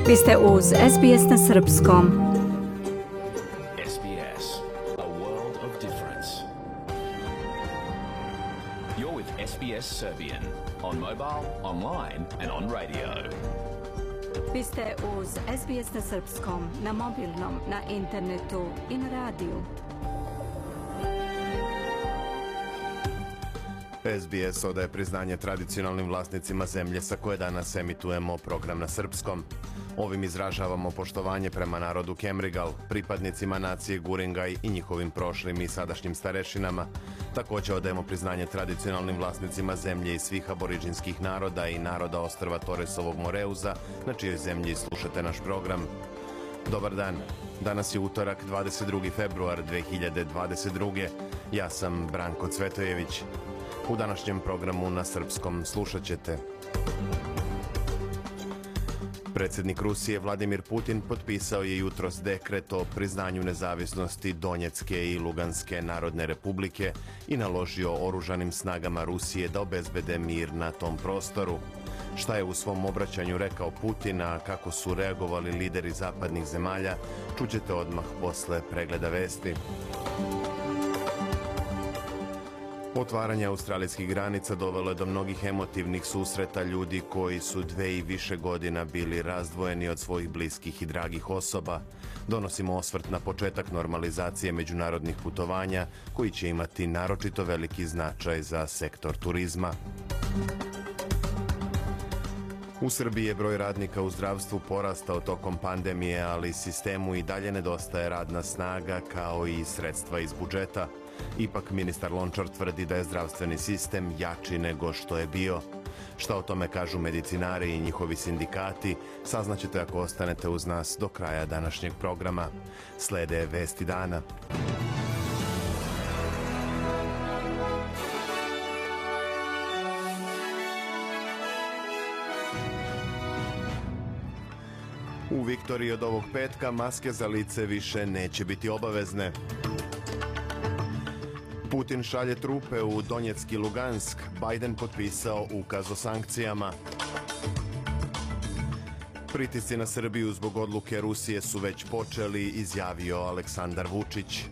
Vi ste uz SBS na srpskom. SBS, a world of difference. You're with SBS Serbian on mobile, online and on radio. Vi ste uz SBS na srpskom, na mobilnom, na internetu i na radiju. SBS odaje priznanje tradicionalnim vlasnicima zemlje sa koje danas emitujemo program na srpskom. Ovim izražavamo poštovanje prema narodu Kemrigal, pripadnicima nacije Guringaj i njihovim prošlim i sadašnjim starešinama. Također odajemo priznanje tradicionalnim vlasnicima zemlje i svih aboriđinskih naroda i naroda ostrva Torresovog Moreuza, na čijoj zemlji slušate naš program. Dobar dan. Danas je utorak 22. februar 2022. Ja sam Branko Cvetojević. U današnjem programu na srpskom slušat ćete: predsjednik Rusije Vladimir Putin potpisao je jutros dekret o priznanju nezavisnosti Donjecke i Luganske narodne republike i naložio oružanim snagama Rusije da obezbede mir na tom prostoru. Šta je u svom obraćanju rekao Putin, a kako su reagovali lideri zapadnih zemalja, čućete odmah posle pregleda vesti. Otvaranje australijskih granica dovelo je do mnogih emotivnih susreta ljudi koji su 2 i više godina bili razdvojeni od svojih bliskih i dragih osoba. Donosimo osvrt na početak normalizacije međunarodnih putovanja koji će imati naročito veliki značaj za sektor turizma. U Srbiji je broj radnika u zdravstvu porastao tokom pandemije, ali sistemu i dalje nedostaje radna snaga kao i sredstva iz budžeta. Ipak ministar Lončar tvrdi da je zdravstveni sistem jači nego što je bio. Šta o tome kažu medicinari i njihovi sindikati, saznaćete ako ostanete uz nas do kraja današnjeg programa. Slede vesti dana. U Viktoriji od ovog petka maske za lice više neće biti obavezne. Putin šalje trupe u Donjecki Lugansk, Biden potpisao ukaz o sankcijama. Pritisci na Srbiju zbog odluke Rusije su već počeli, izjavio Aleksandar Vučić.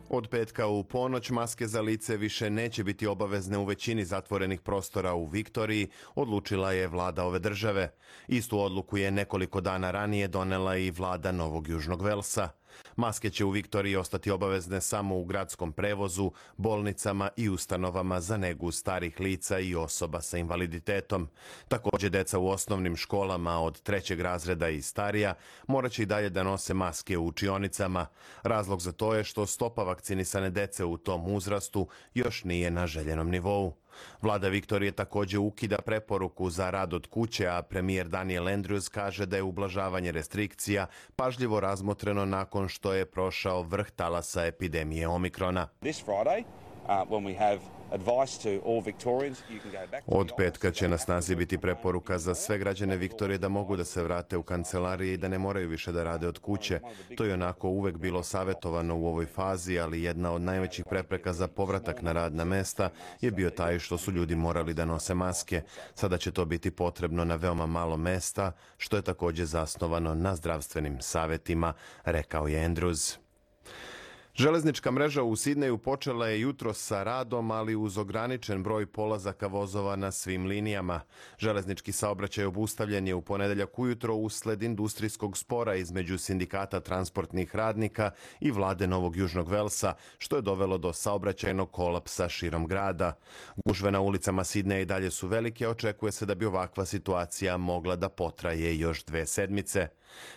Od petka u ponoć maske za lice više neće biti obavezne u većini zatvorenih prostora u Viktoriji, odlučila je vlada ove države. Istu odluku je nekoliko dana ranije donela i vlada Novog Južnog Velsa. Maske će u Viktoriji ostati obavezne samo u gradskom prevozu, bolnicama i ustanovama za negu starih lica i osoba sa invaliditetom. Također deca u osnovnim školama od 3. razreda i starija morat će i dalje da nose maske u učionicama. Razlog za to je što stopa vakcinisane dece u tom uzrastu još nije na željenom nivou. Vlada Viktorije također ukida preporuku za rad od kuće, a premijer Daniel Andrews kaže da je ublažavanje restrikcija pažljivo razmotreno nakon što je prošao vrh talasa epidemije Omikrona. Od petka će na snazi biti preporuka za sve građane Viktorije da mogu da se vrate u kancelarije i da ne moraju više da rade od kuće. To je onako uvek bilo savjetovano u ovoj fazi, ali jedna od najvećih prepreka za povratak na radna mesta je bio taj što su ljudi morali da nose maske. Sada će to biti potrebno na veoma malo mesta, što je također zasnovano na zdravstvenim savjetima, rekao je Andrews. Železnička mreža u Sidneju počela je jutros sa radom, ali uz ograničen broj polazaka vozova na svim linijama. Železnički saobraćaj obustavljen je u ponedeljak ujutro usled industrijskog spora između sindikata transportnih radnika i vlade Novog Južnog Velsa, što je dovelo do saobraćajnog kolapsa širom grada. Gužve na ulicama Sidneja i dalje su velike, očekuje se da bi ovakva situacija mogla da potraje još 2 sedmice.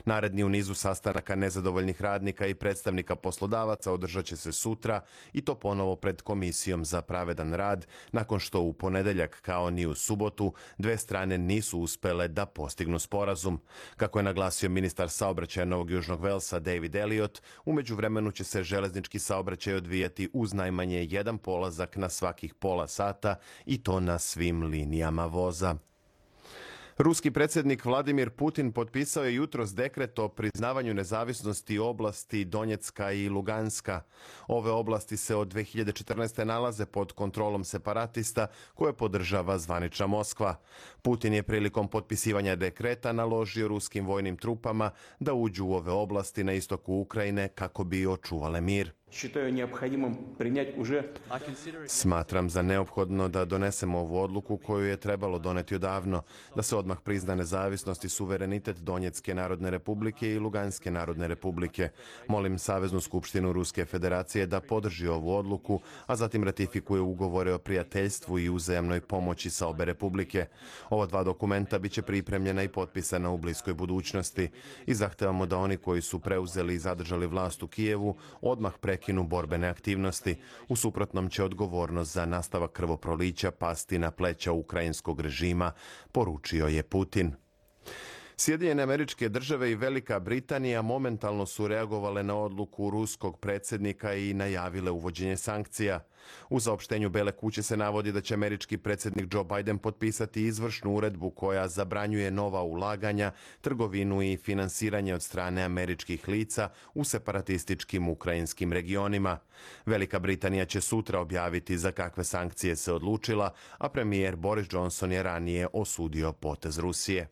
Naredni u nizu sastanaka nezadovoljnih radnika i predstavnika poslodavaca održat će se sutra i to ponovo pred Komisijom za pravedan rad, nakon što u ponedeljak kao ni u subotu 2 strane nisu uspele da postignu sporazum. Kako je naglasio ministar saobraćaja Novog Južnog Velsa David Elliott, u međuvremenu će se železnički saobraćaj odvijati uz najmanje 1 polazak na svakih pola sata i to na svim linijama voza. Ruski predsjednik Vladimir Putin potpisao je jutros dekret o priznavanju nezavisnosti oblasti Donjecka i Luganska. Ove oblasti se od 2014. nalaze pod kontrolom separatista koje podržava zvanična Moskva. Putin je prilikom potpisivanja dekreta naložio ruskim vojnim trupama da uđu u ove oblasti na istoku Ukrajine kako bi očuvale mir. Smatram za neophodno da donesemo ovu odluku koju je trebalo doneti odavno, da se odmah prizna nezavisnost i suverenitet Donjecke narodne republike i Luganske narodne republike. Molim Saveznu skupštinu Ruske federacije da podrži ovu odluku, a zatim ratifikuje ugovore o prijateljstvu i uzajamnoj pomoći sa obe republike. Ova dva dokumenta biće pripremljena i potpisana u bliskoj budućnosti i zahtevamo da oni koji su preuzeli i zadržali vlast u Kijevu odmah prekinu borbene aktivnosti. U suprotnom će odgovornost za nastavak krvoprolića pasti na pleća ukrajinskog režima, poručio je Putin. Sjedinjene Američke Države i Velika Britanija momentalno su reagovale na odluku ruskog predsjednika i najavile uvođenje sankcija. U saopštenju Bele kuće se navodi da će američki predsjednik Joe Biden potpisati izvršnu uredbu koja zabranjuje nova ulaganja, trgovinu i finansiranje od strane američkih lica u separatističkim ukrajinskim regionima. Velika Britanija će sutra objaviti za kakve sankcije se odlučila, a premijer Boris Johnson je ranije osudio potez Rusije.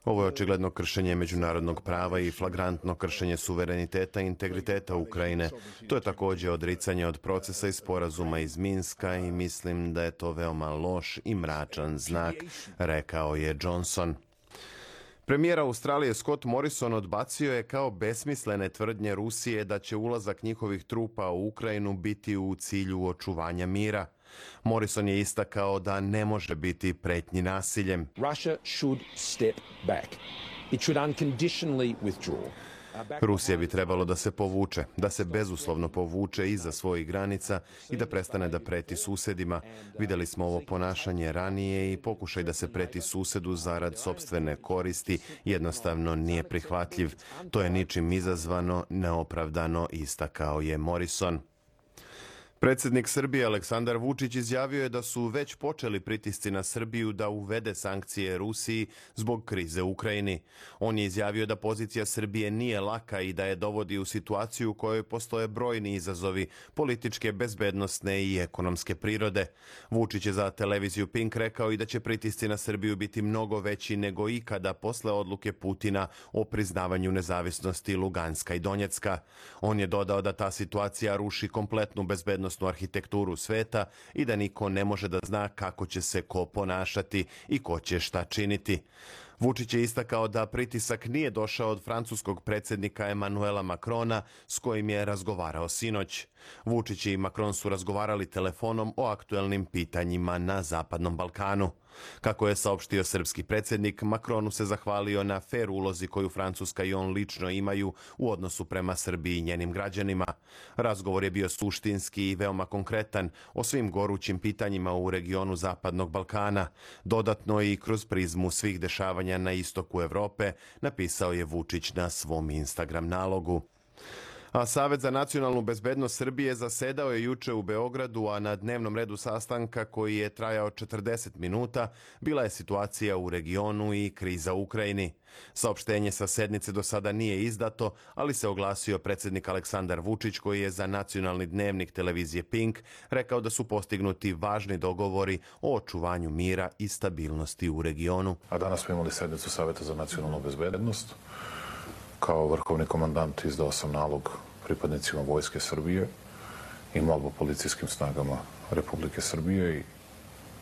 Ovo je očigledno kršenje međunarodnog prava i flagrantno kršenje suvereniteta i integriteta Ukrajine. To je također odricanje od procesa i sporazuma iz Minska i mislim da je to veoma loš i mračan znak, rekao je Johnson. Premijer Australije Scott Morrison odbacio je kao besmislene tvrdnje Rusije da će ulazak njihovih trupa u Ukrajinu biti u cilju očuvanja mira. Morrison je istakao da ne može biti pretnji nasiljem. Rusija bi trebalo da se povuče, da se bezuslovno povuče iza svojih granica i da prestane da preti susjedima. Vidjeli smo ovo ponašanje ranije i pokušaj da se preti susjedu zarad sopstvene koristi jednostavno nije prihvatljiv. To je ničim izazvano, neopravdano, istakao je Morrison. Predsjednik Srbije Aleksandar Vučić izjavio je da su već počeli pritisci na Srbiju da uvede sankcije Rusiji zbog krize u Ukrajini. On je izjavio da pozicija Srbije nije laka i da je dovodi u situaciju u kojoj postoje brojni izazovi političke, bezbednosne i ekonomske prirode. Vučić je za televiziju Pink rekao i da će pritisci na Srbiju biti mnogo veći nego ikada posle odluke Putina o priznavanju nezavisnosti Luganska i Donjecka. On je dodao da ta situacija ruši kompletnu bezbednost arhitekturu sveta i da niko ne može da zna kako će se ko ponašati i ko će šta činiti. Vučić je istakao da pritisak nije došao od francuskog predsjednika Emanuela Macrona s kojim je razgovarao sinoć. Vučić i Macron su razgovarali telefonom o aktuelnim pitanjima na Zapadnom Balkanu. Kako je saopštio srpski predsjednik, Macronu se zahvalio na fer ulozi koju Francuska i on lično imaju u odnosu prema Srbiji i njenim građanima. Razgovor je bio suštinski i veoma konkretan o svim gorućim pitanjima u regionu Zapadnog Balkana, dodatno i kroz prizmu svih dešavanja na istoku Evrope, napisao je Vučić na svom Instagram nalogu. A Savet za nacionalnu bezbednost Srbije zasedao je juče u Beogradu, a na dnevnom redu sastanka koji je trajao 40 minuta bila je situacija u regionu i kriza u Ukrajini. Saopštenje sa sednice do sada nije izdato, ali se oglasio predsjednik Aleksandar Vučić koji je za nacionalni dnevnik televizije Pink rekao da su postignuti važni dogovori o očuvanju mira i stabilnosti u regionu. A danas smo imali sednicu Saveta za nacionalnu bezbednost. Kao vrhovni komandant izdao sam nalog pripadnicima Vojske Srbije i molbu policijskim snagama Republike Srbije i,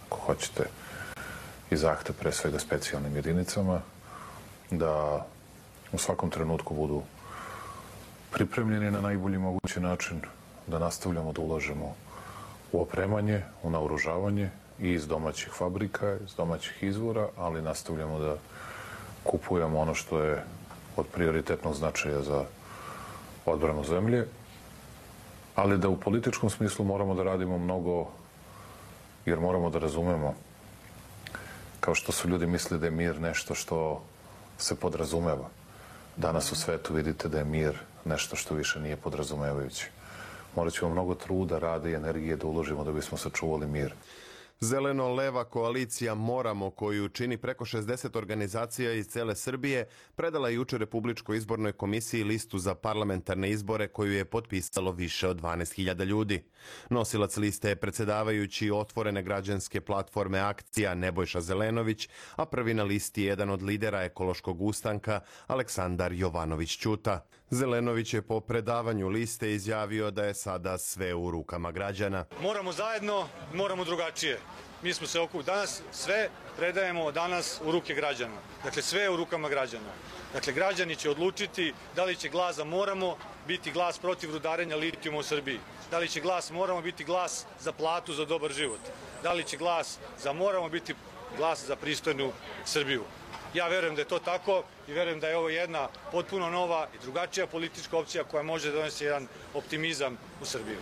ako hoćete, i zahtev pre svega specijalnim jedinicama da u svakom trenutku budu pripremljeni na najbolji mogući način, da nastavljamo da ulažemo u opremanje, u naoružavanje i iz domaćih fabrika, iz domaćih izvora, ali nastavljamo da kupujemo ono što je od prioritetnog značaja za odbranu zemlje, ali da u političkom smislu moramo da radimo mnogo, jer moramo da razumemo, kao što su ljudi mislili da je mir nešto što se podrazumeva. Danas u svetu vidite da je mir nešto što više nije podrazumevajuće. Morat ćemo mnogo truda, rada i energije da uložimo da bismo sačuvali mir. Zeleno-leva koalicija Moramo, koju čini preko 60 organizacija iz cele Srbije, predala je jučer Republičkoj izbornoj komisiji listu za parlamentarne izbore koju je potpisalo više od 12.000 ljudi. Nosilac liste je predsjedavajući otvorene građanske platforme Akcija Nebojša Zelenović, a prvi na listi je jedan od lidera ekološkog ustanka Aleksandar Jovanović Ćuta. Zelenović je po predavanju liste izjavio da je sada sve u rukama građana. Moramo zajedno, moramo drugačije. Mi smo se okupili danas, sve predajemo danas u ruke građana. Dakle, sve je u rukama građana. Dakle, građani će odlučiti da li će glas za Moramo biti glas protiv rudarenja litijuma u Srbiji. Da li će glas Moramo biti glas za platu, za dobar život. Da li će glas za Moramo biti glas za pristojnu Srbiju. Ja verujem da je to tako i verujem da je ovo jedna potpuno nova i drugačija politička opcija koja može donesti jedan optimizam u Srbiju.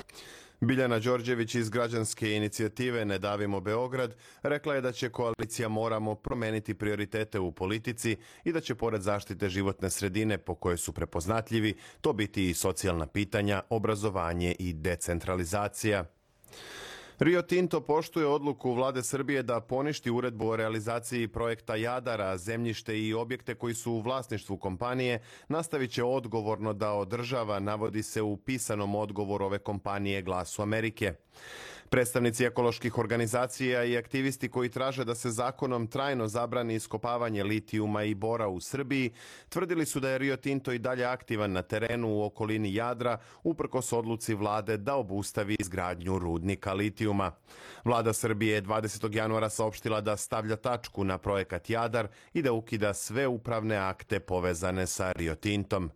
Biljana Đorđević iz građanske inicijative Ne davimo Beograd rekla je da će koalicija Moramo promeniti prioritete u politici i da će pored zaštite životne sredine po kojoj su prepoznatljivi, to biti i socijalna pitanja, obrazovanje i decentralizacija. Rio Tinto poštuje odluku vlade Srbije da poništi uredbu o realizaciji projekta Jadar, a zemljište i objekte koji su u vlasništvu kompanije nastavit će odgovorno da održava, navodi se u pisanom odgovoru ove kompanije Glasu Amerike. Predstavnici ekoloških organizacija i aktivisti koji traže da se zakonom trajno zabrani iskopavanje litijuma i bora u Srbiji tvrdili su da je Rio Tinto i dalje aktivan na terenu u okolini Jadra uprkos odluci vlade da obustavi izgradnju rudnika litijuma. Vlada Srbije je 20. januara saopštila da stavlja tačku na projekat Jadar i da ukida sve upravne akte povezane sa Rio Tintom.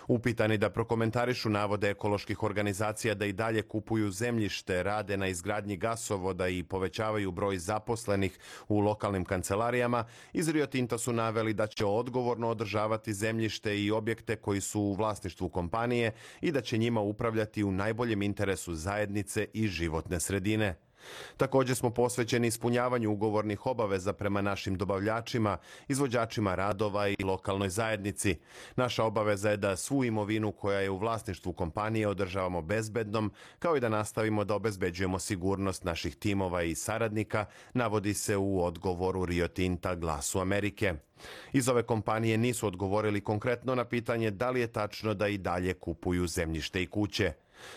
Upitani da prokomentarišu navode ekoloških organizacija da i dalje kupuju zemljište, rade na izgradnji gasovoda i povećavaju broj zaposlenih u lokalnim kancelarijama, iz Rio Tinta su naveli da će odgovorno održavati zemljište i objekte koji su u vlasništvu kompanije i da će njima upravljati u najboljem interesu zajednice i životne sredine. Također smo posvećeni ispunjavanju ugovornih obaveza prema našim dobavljačima, izvođačima radova i lokalnoj zajednici. Naša obaveza je da svu imovinu koja je u vlasništvu kompanije održavamo bezbednom, kao i da nastavimo da obezbeđujemo sigurnost naših timova i saradnika, navodi se u odgovoru Rio Tinta Glasu Amerike. Iz ove kompanije nisu odgovorili konkretno na pitanje da li je tačno da i dalje kupuju zemljište i kuće.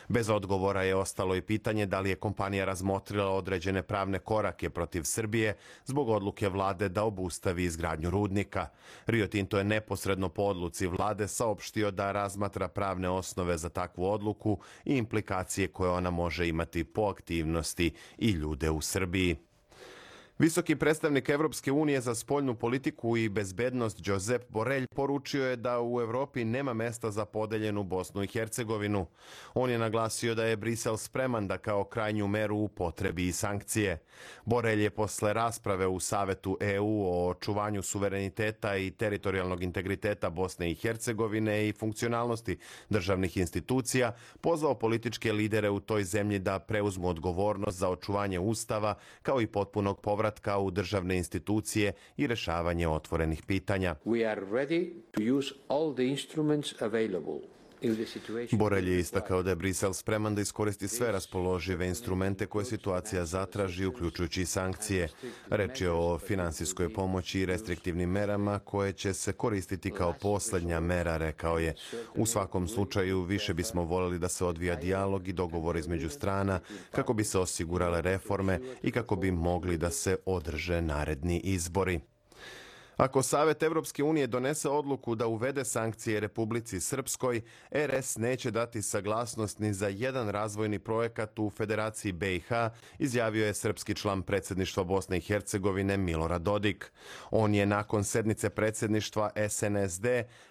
Bez odgovora je ostalo i pitanje da li je kompanija razmotrila određene pravne korake protiv Srbije zbog odluke vlade da obustavi izgradnju rudnika. Rio Tinto je neposredno po odluci vlade saopštio da razmatra pravne osnove za takvu odluku i implikacije koje ona može imati po aktivnosti i ljude u Srbiji. Visoki predstavnik Evropske unije za spoljnu politiku i bezbednost Josep Borrell poručio je da u Evropi nema mesta za podeljenu Bosnu i Hercegovinu. On je naglasio da je Brisel spreman da kao krajnju meru upotrebi i sankcije. Borrell je posle rasprave u Savetu EU o očuvanju suvereniteta i teritorijalnog integriteta Bosne i Hercegovine i funkcionalnosti državnih institucija pozvao političke lidere u toj zemlji da preuzmu odgovornost za očuvanje ustava kao i potpunog povratka u državne institucije i rešavanje otvorenih pitanja. Borrell je istakao da je Brisel spreman da iskoristi sve raspoložive instrumente koje situacija zatraži, uključujući i sankcije. Reč je o finansijskoj pomoći i restriktivnim merama koje će se koristiti kao poslednja mera, rekao je. U svakom slučaju više bismo voljeli da se odvija dijalog i dogovor između strana kako bi se osigurale reforme i kako bi mogli da se održe naredni izbori. Ako Savet Evropske unije donese odluku da uvede sankcije Republici Srpskoj, RS neće dati saglasnost ni za jedan razvojni projekat u Federaciji BiH, izjavio je srpski član predsjedništva Bosne i Hercegovine Milorad Dodik. On je nakon sednice predsjedništva SNSD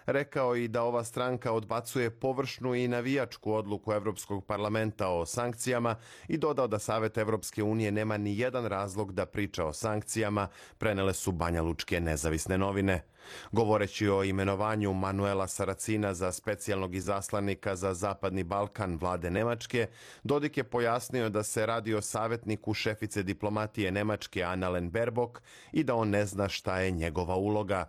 rekao i da ova stranka odbacuje površnu i navijačku odluku Evropskog parlamenta o sankcijama i dodao da Savet Evropske unije nema ni jedan razlog da priča o sankcijama, prenele su banjalučke nezavisne novine. Govoreći o imenovanju Manuela Saracina za specijalnog izaslanika za Zapadni Balkan vlade Nemačke, Dodik je pojasnio da se radi o savjetniku šefice diplomatije Nemačke Annalena Baerbock i da on ne zna šta je njegova uloga.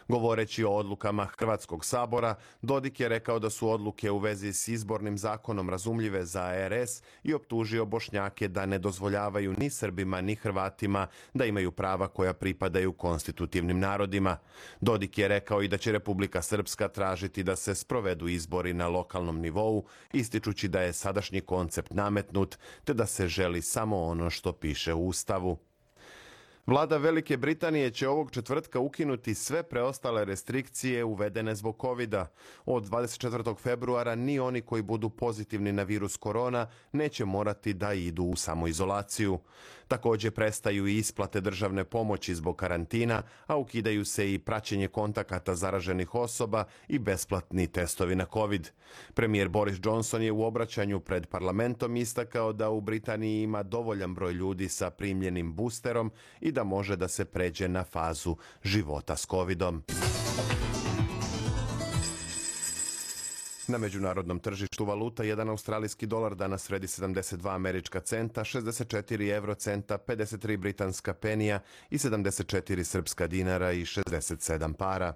Govoreći o odlukama Hrvatskog sabora, Dodik je rekao da su odluke u vezi s izbornim zakonom razumljive za RS i optužio Bošnjake da ne dozvoljavaju ni Srbima ni Hrvatima da imaju prava koja pripadaju konstitutivnim narodima. Dodik je rekao i da će Republika Srpska tražiti da se sprovedu izbori na lokalnom nivou, ističući da je sadašnji koncept nametnut te da se želi samo ono što piše u Ustavu. Vlada Velike Britanije će ovog četvrtka ukinuti sve preostale restrikcije uvedene zbog covida. Od 24. februara ni oni koji budu pozitivni na virus korona neće morati da idu u samoizolaciju. Također prestaju i isplate državne pomoći zbog karantina, a ukidaju se i praćenje kontakata zaraženih osoba i besplatni testovi na covid. Premijer Boris Johnson je u obraćanju pred parlamentom istakao da u Britaniji ima dovoljan broj ljudi sa primljenim boosterom i da može da se pređe na fazu života s covidom. Na međunarodnom tržištu valuta jedan australijski dolar danas vredi 72 američka centa, 64 eurocenta, 53 britanska penija i 74 srpska dinara i 67 para.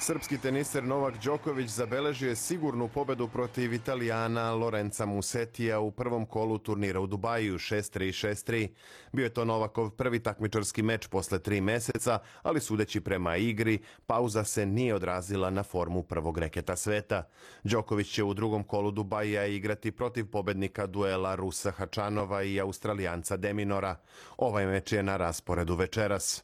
Srpski teniser Novak Đoković zabeležio je sigurnu pobedu protiv Italijana Lorenza Musetija u prvom kolu turnira u Dubaju 6-3, 6-3. Bio je to Novakov prvi takmičarski meč posle 3 meseca, ali sudeći prema igri, pauza se nije odrazila na formu prvog reketa sveta. Đoković će u drugom kolu Dubaja igrati protiv pobednika duela Rusa Hačanova i Australijanca Deminora. Ovaj meč je na rasporedu večeras.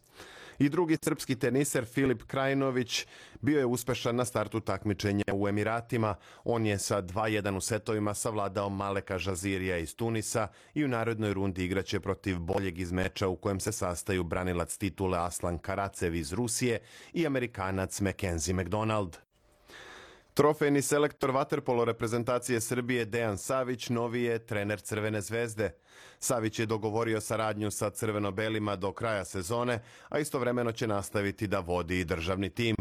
I drugi srpski teniser Filip Krajinović bio je uspešan na startu takmičenja u Emiratima. On je sa 2-1 u setovima savladao Maleka Žazirija iz Tunisa i u narednoj rundi igraće protiv boljeg iz meča u kojem se sastaju branilac titule Aslan Karacev iz Rusije i Amerikanac Mackenzie McDonald. Trofejni selektor vaterpolo reprezentacije Srbije Dejan Savić novi je trener Crvene zvezde. Savić je dogovorio saradnju sa crveno-belima do kraja sezone, a istovremeno će nastaviti da vodi i državni tim.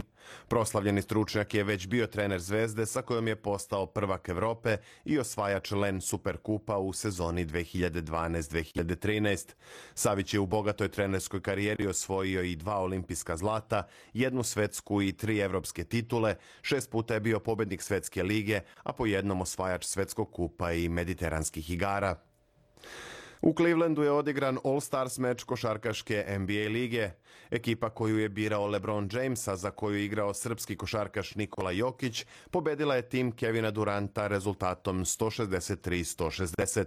Proslavljeni stručnjak je već bio trener Zvezde sa kojom je postao prvak Evrope i osvajač LEN Superkupa u sezoni 2012-2013. Savić je u bogatoj trenerskoj karijeri osvojio i 2 olimpijska zlata, 1 svetsku i 3 evropske titule, 6 puta je bio pobednik Svetske lige, a po jednom osvajač Svetskog kupa i Mediteranskih igara. U Clevelandu je odigran All-Stars meč košarkaške NBA lige. Ekipa koju je birao LeBron James, a za koju je igrao srpski košarkaš Nikola Jokić, pobedila je tim Kevina Duranta rezultatom 163-160.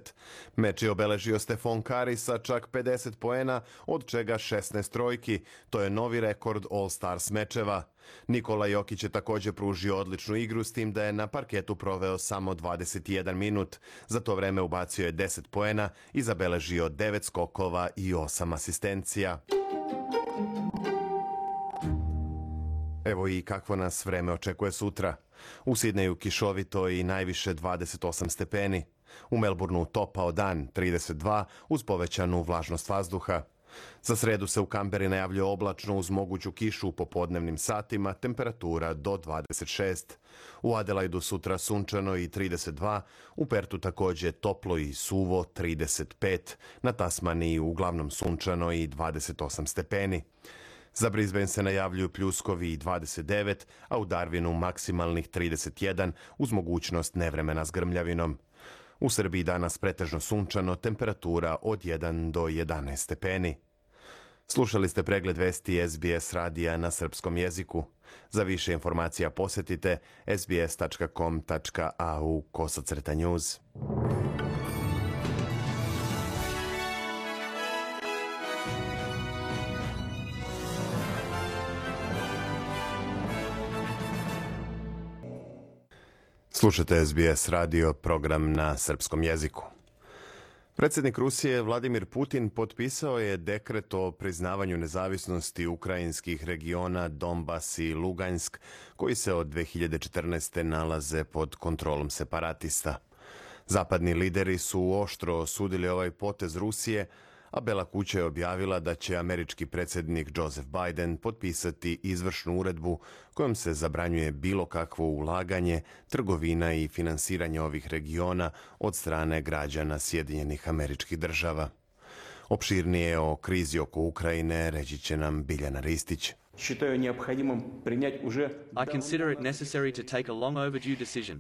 Meč je obeležio Stefan Curry sa čak 50 poena, od čega 16 trojki. To je novi rekord All-Stars mečeva. Nikola Jokić je također pružio odličnu igru, s tim da je na parketu proveo samo 21 minut. Za to vreme ubacio je 10 poena i zabeležio 9 skokova i 8 asistencija. Evo i kakvo nas vreme očekuje sutra. U Sidneju kišovito i najviše 28 stepeni. U Melbourneu topao dan 32 uz povećanu vlažnost vazduha. Za sredu se u Kamberi najavljuje oblačno uz moguću kišu u popodnevnim satima, temperatura do 26. U Adelaidu sutra sunčano i 32, u Pertu također toplo i suvo 35, na Tasmaniji uglavnom sunčano i 28 stepeni. Za Brisbane se najavljuju pljuskovi i 29, a u Darwinu maksimalnih 31 uz mogućnost nevremena s grmljavinom. U Srbiji danas pretežno sunčano, temperatura od 1 do 11 stepeni. Slušali ste pregled vesti SBS radija na srpskom jeziku. Za više informacija posjetite sbs.com.au/news. Slušate SBS radio, program na srpskom jeziku. Predsjednik Rusije Vladimir Putin potpisao je dekret o priznavanju nezavisnosti ukrajinskih regiona Donbas i Lugansk, koji se od 2014. nalaze pod kontrolom separatista. Zapadni lideri su oštro osudili ovaj potez Rusije, a Bela kuća je objavila da će američki predsjednik Joseph Biden potpisati izvršnu uredbu kojom se zabranjuje bilo kakvo ulaganje, trgovina i finansiranje ovih regiona od strane građana Sjedinjenih Američkih Država. Opširnije o krizi oko Ukrajine reći će nam Biljana Ristić.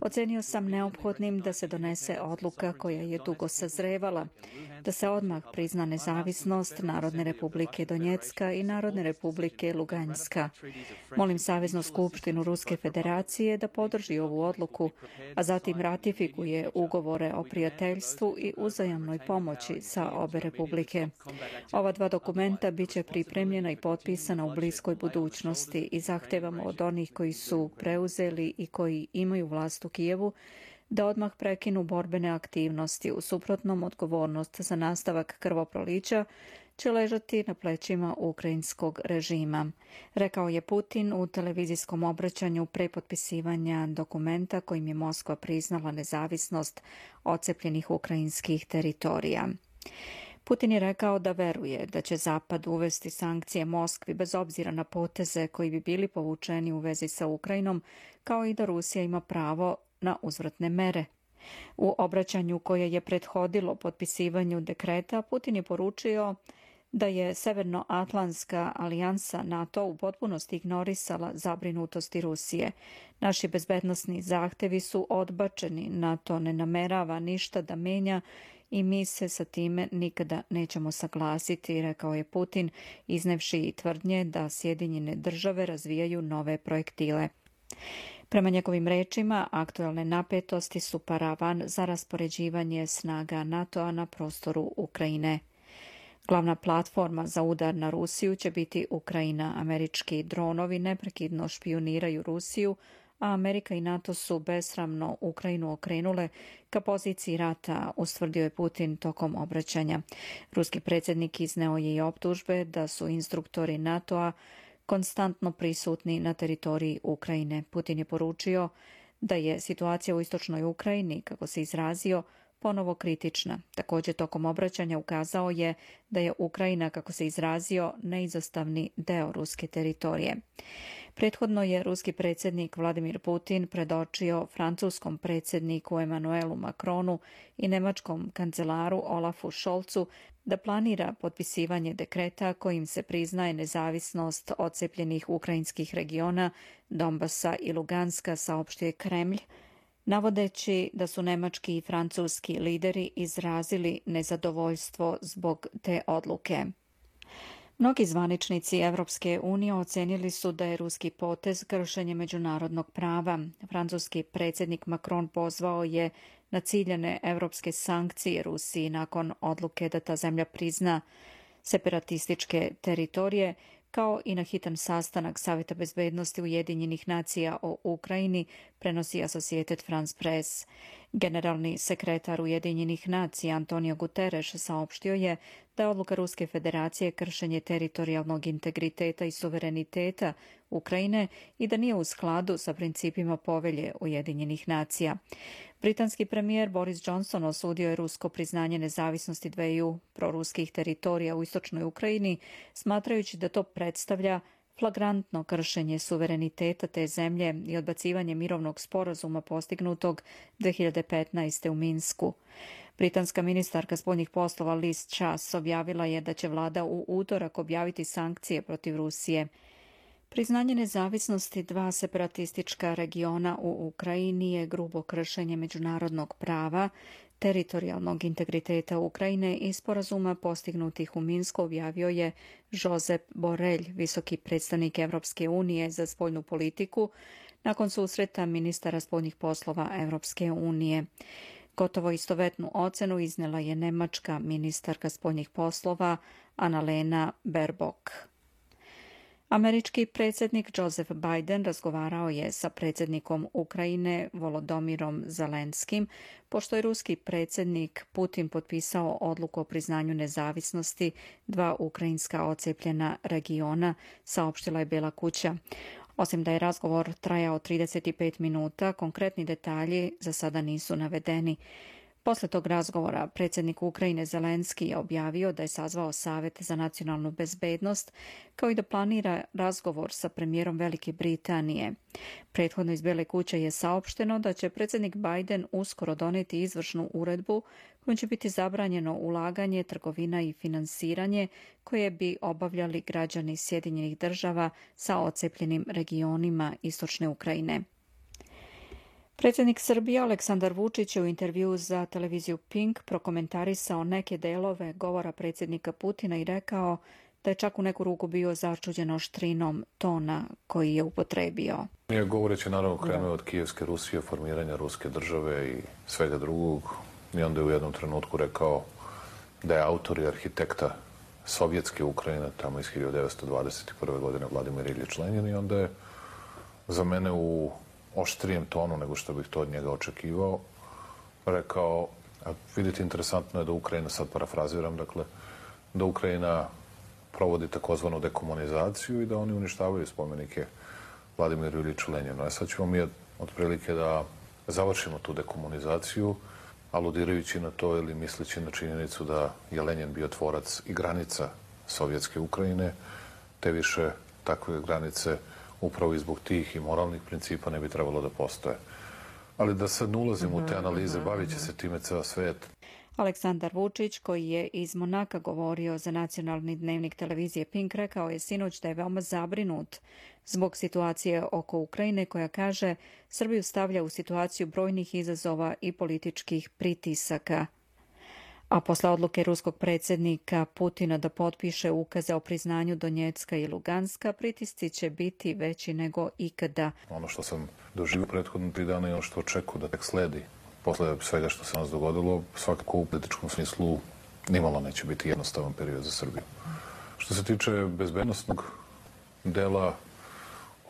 Ocenio sam neophodnim da se donese odluka koja je dugo sazrevala, da se odmah prizna nezavisnost Narodne republike Donjecka i Narodne republike Luganjska. Molim Saveznu skupštinu Ruske federacije da podrži ovu odluku, a zatim ratifikuje ugovore o prijateljstvu i uzajamnoj pomoći sa obe republike. Ova dva dokumenta biće pripremljena i potpisana u bliskoj budućnosti i zahtevamo od onih koji su preuzeli i koji imaju vlast u Kijevu da odmah prekinu borbene aktivnosti. U suprotnom, odgovornost za nastavak krvoprolića će ležati na plećima ukrajinskog režima, rekao je Putin u televizijskom obraćanju pre potpisivanja dokumenta kojim je Moskva priznala nezavisnost odcepljenih ukrajinskih teritorija. Putin je rekao da veruje da će Zapad uvesti sankcije Moskvi bez obzira na poteze koji bi bili povučeni u vezi sa Ukrajinom, kao i da Rusija ima pravo na uzvratne mere. U obraćanju koje je prethodilo potpisivanju dekreta, Putin je poručio da je Severnoatlantska alijansa NATO u potpunosti ignorisala zabrinutosti Rusije. Naši bezbednosni zahtevi su odbačeni, NATO ne namerava ništa da menja i mi se sa time nikada nećemo saglasiti, rekao je Putin, iznevši i tvrdnje da Sjedinjene države razvijaju nove projektile. Prema njegovim rečima, aktuelne napetosti su paravan za raspoređivanje snaga NATO-a na prostoru Ukrajine. Glavna platforma za udar na Rusiju će biti Ukrajina. Američki dronovi neprekidno špijuniraju Rusiju, a Amerika i NATO su besramno Ukrajinu okrenule ka poziciji rata, ustvrdio je Putin tokom obraćanja. Ruski predsjednik izneo je i optužbe da su instruktori NATO-a konstantno prisutni na teritoriji Ukrajine. Putin je poručio da je situacija u istočnoj Ukrajini, kako se izrazio, ponovo kritična. Također tokom obraćanja ukazao je da je Ukrajina, kako se izrazio, neizostavni deo ruske teritorije. Prethodno je ruski predsjednik Vladimir Putin predočio francuskom predsjedniku Emmanuelu Macronu i nemačkom kancelaru Olafu Scholzu da planira potpisivanje dekreta kojim se priznaje nezavisnost odcepljenih ukrajinskih regiona Donbasa i Luganska, saopštio je Kremlj, navodeći da su nemački i francuski lideri izrazili nezadovoljstvo zbog te odluke. Mnogi zvaničnici Evropske unije ocenili su da je ruski potez kršenje međunarodnog prava. Francuski predsjednik Macron pozvao je na ciljane evropske sankcije Rusiji nakon odluke da ta zemlja prizna separatističke teritorije, kao i na hitan sastanak Savjeta bezbednosti Ujedinjenih nacija o Ukrajini, prenosi Associated France Press. Generalni sekretar Ujedinjenih nacija Antonio Guterres saopštio je da je odluka Ruske federacije kršenje teritorijalnog integriteta i suvereniteta Ukrajine i da nije u skladu sa principima povelje Ujedinjenih nacija. Britanski premijer Boris Johnson osudio je rusko priznanje nezavisnosti dveju proruskih teritorija u istočnoj Ukrajini, smatrajući da to predstavlja flagrantno kršenje suvereniteta te zemlje i odbacivanje mirovnog sporazuma postignutog 2015. u Minsku. Britanska ministarka spoljnih poslova Liz Truss objavila je da će vlada u utorak objaviti sankcije protiv Rusije. Priznanje nezavisnosti dva separatistička regiona u Ukrajini je grubo kršenje međunarodnog prava, teritorijalnog integriteta Ukrajine i sporazuma postignutih u Minsku, objavio je Josep Borrell, visoki predstavnik Evropske unije za spoljnu politiku, nakon susreta ministara spoljnih poslova Evropske unije. Gotovo istovetnu ocenu iznela je nemačka ministarka spoljnih poslova Annalena Baerbock. Američki predsjednik Joseph Biden razgovarao je sa predsjednikom Ukrajine Volodymyrom Zelenskim, pošto je ruski predsjednik Putin potpisao odluku o priznanju nezavisnosti dva ukrajinska odcepljena regiona, saopštila je Bela kuća. Osim da je razgovor trajao 35 minuta, konkretni detalji za sada nisu navedeni. Posle tog razgovora predsjednik Ukrajine Zelenski je objavio da je sazvao Savjet za nacionalnu bezbednost, kao i da planira razgovor sa premijerom Velike Britanije. Prethodno iz Bele kuće je saopšteno da će predsjednik Biden uskoro doneti izvršnu uredbu kojom će biti zabranjeno ulaganje, trgovina i finansiranje koje bi obavljali građani Sjedinjenih država sa odcepljenim regionima istočne Ukrajine. Predsjednik Srbije Aleksandar Vučić je u intervjuu za televiziju Pink prokomentarisao neke delove govora predsjednika Putina i rekao da je čak u neku ruku bio začuđen oštrinom tona koji je upotrebio. Nije govoreći naravno krenuo od Kijevske Rusije, formiranja Ruske države i svega drugog. I onda je u jednom trenutku rekao da je autor i arhitekta sovjetske Ukrajine, tamo iz 1921. godine Vladimir Iljič Lenin, i onda je za mene u oštrijem tonu nego što bih to od njega očekivao rekao, a vidite, interesantno je da Ukrajina, sad parafraziram, dakle, da Ukrajina provodi takozvanu dekomunizaciju i da oni uništavaju spomenike Vladimiru Iljiču Leninu. A sad ćemo mi otprilike da završimo tu dekomunizaciju, aludirajući na to ili misleći na činjenicu da je Lenin bio tvorac i granica sovjetske Ukrajine, te više takve granice upravo i zbog tih i moralnih principa ne bi trebalo da postoje. Ali da sad ne ulazimo u te analize, bavit će se time ceo svet. Aleksandar Vučić, koji je iz Monaka govorio za nacionalni dnevnik televizije Pink, rekao je sinoć da je veoma zabrinut zbog situacije oko Ukrajine, koja, kaže, Srbiju stavlja u situaciju brojnih izazova i političkih pritisaka. A posle odluke ruskog predsjednika Putina da potpiše ukaze o priznanju Donjecka i Luganska, pritisci će biti veći nego ikada. Ono što sam doživio prethodno 3 dana i ono što očekujem da tek sledi posle svega što se nas dogodilo, svakako u političkom smislu nimalo neće biti jednostavan period za Srbiju. Što se tiče bezbednostnog dela,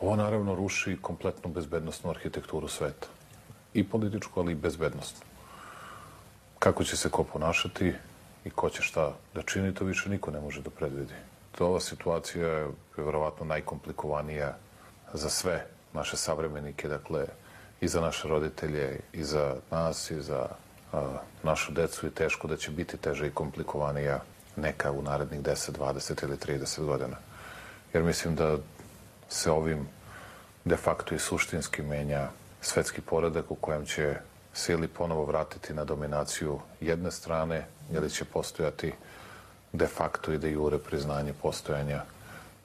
ovo naravno ruši kompletnu bezbednostnu arhitekturu sveta. I političku, ali i bezbednostnu. Kako će se ko ponašati i ko će šta da čini, to više niko ne može da predvidi. Ova situacija je verovatno najkomplikovanija za sve naše savremenike, dakle, i za naše roditelje, i za nas, i za našu decu, i teško da će biti teže i komplikovanija neka u narednih 10, 20 ili 30 godina. Jer mislim da se ovim de facto i suštinski menja svetski poredak u kojem će sili ponovo vratiti na dominaciju jedne strane, ili će postojati de facto i de jure priznanje postojanja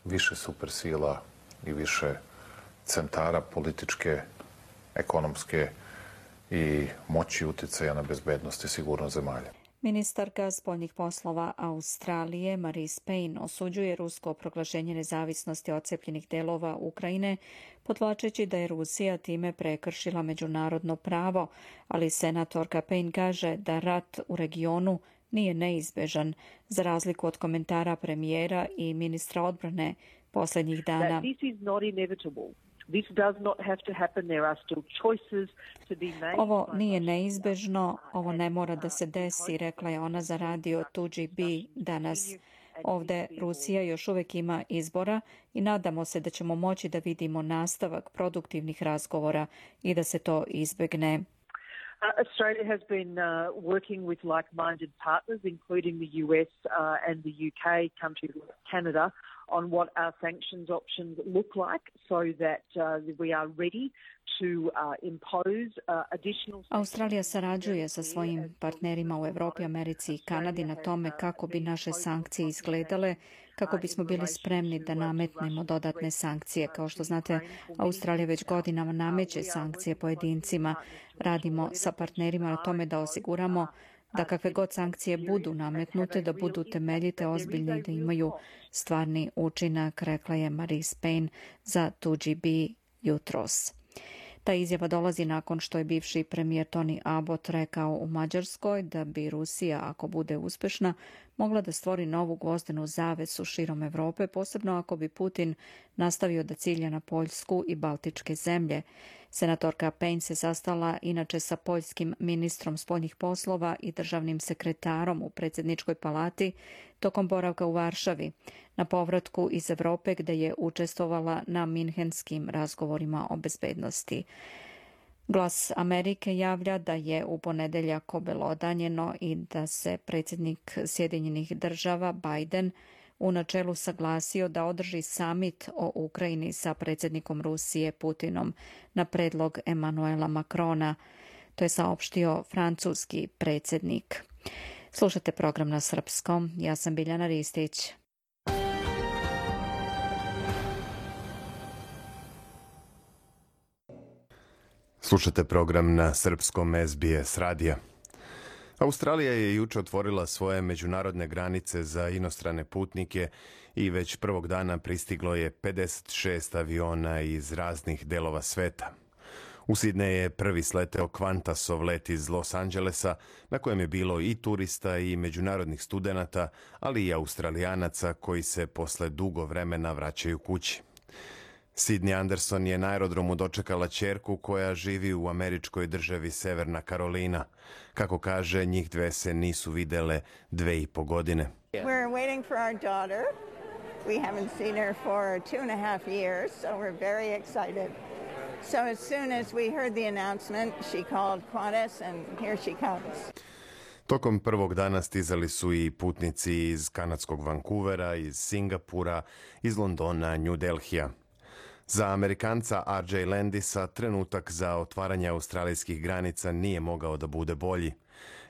više supersila i više centara političke, ekonomske i moći uticaja na bezbednost i sigurnost zemalja. Ministarka spoljnih poslova Australije Marise Payne osuđuje rusko proglašenje nezavisnosti odcepljenih delova Ukrajine, podvlačeći da je Rusija time prekršila međunarodno pravo, ali senatorka Payne kaže da rat u regionu nije neizbežan, za razliku od komentara premijera i ministra odbrane posljednjih dana. Ovo nije neizbežno, ovo ne mora da se desi, rekla je ona za radio 2GB danas. Ovde Rusija još uvek ima izbora i nadamo se da ćemo moći da vidimo nastavak produktivnih razgovora i da se to izbegne. Australia has been working with like-minded partners, including the US and the UK, countries like Canada, on what our sanctions options look like so that we are ready to impose additional... Australija sarađuje sa svojim partnerima u Evropi, Americi i Kanadi na tome kako bi naše sankcije izgledale, kako bismo bili spremni da nametnemo dodatne sankcije. Kao što znate, Australija već godinama nameće sankcije pojedincima. Radimo sa partnerima na tome da osiguramo da kakve god sankcije budu nametnute, da budu temeljite, ozbiljne i da imaju stvarni učinak, rekla je Marise Payne za 2GB jutros. Ta izjava dolazi nakon što je bivši premijer Tony Abbott rekao u Mađarskoj da bi Rusija, ako bude uspešna, mogla da stvori novu gvozdenu zavesu širom Evrope, posebno ako bi Putin nastavio da cilja na Poljsku i Baltičke zemlje. Senatorka Payne se sastala inače sa poljskim ministrom spoljnih poslova i državnim sekretarom u predsjedničkoj palati tokom boravka u Varšavi, na povratku iz Evrope gde je učestvovala na minhenskim razgovorima o bezbednosti. Glas Amerike javlja da je u ponedeljak obelodanjeno i da se predsjednik Sjedinjenih država Biden u načelu saglasio da održi samit o Ukrajini sa predsjednikom Rusije Putinom na predlog Emanuela Macrona. To je saopštio francuski predsjednik. Slušate program na srpskom. Ja sam Biljana Ristić. Slušate program na srpskom SBS radija. Australija je juče otvorila svoje međunarodne granice za inostrane putnike i već prvog dana pristiglo je 56 aviona iz raznih delova sveta. U Sidneju je prvi sleteo Qantasov let iz Los Angelesa, na kojem je bilo i turista i međunarodnih studenata, ali i Australijanaca koji se posle dugo vremena vraćaju kući. Sydney Anderson je na aerodromu dočekala ćerku koja živi u američkoj državi Severna Karolina. Kako kaže, njih dve se nisu videle 2,5 godine. We're waiting for our daughter. We haven't seen her for 2.5 years, so we're very excited. So as soon as we heard the announcement, she called Qantas and here she comes. Tokom prvog dana stizali su i putnici iz kanadskog Vancouvera, iz Singapura, iz Londona, New Delhija. Za Amerikanca R.J. Landisa trenutak za otvaranje australijskih granica nije mogao da bude bolji.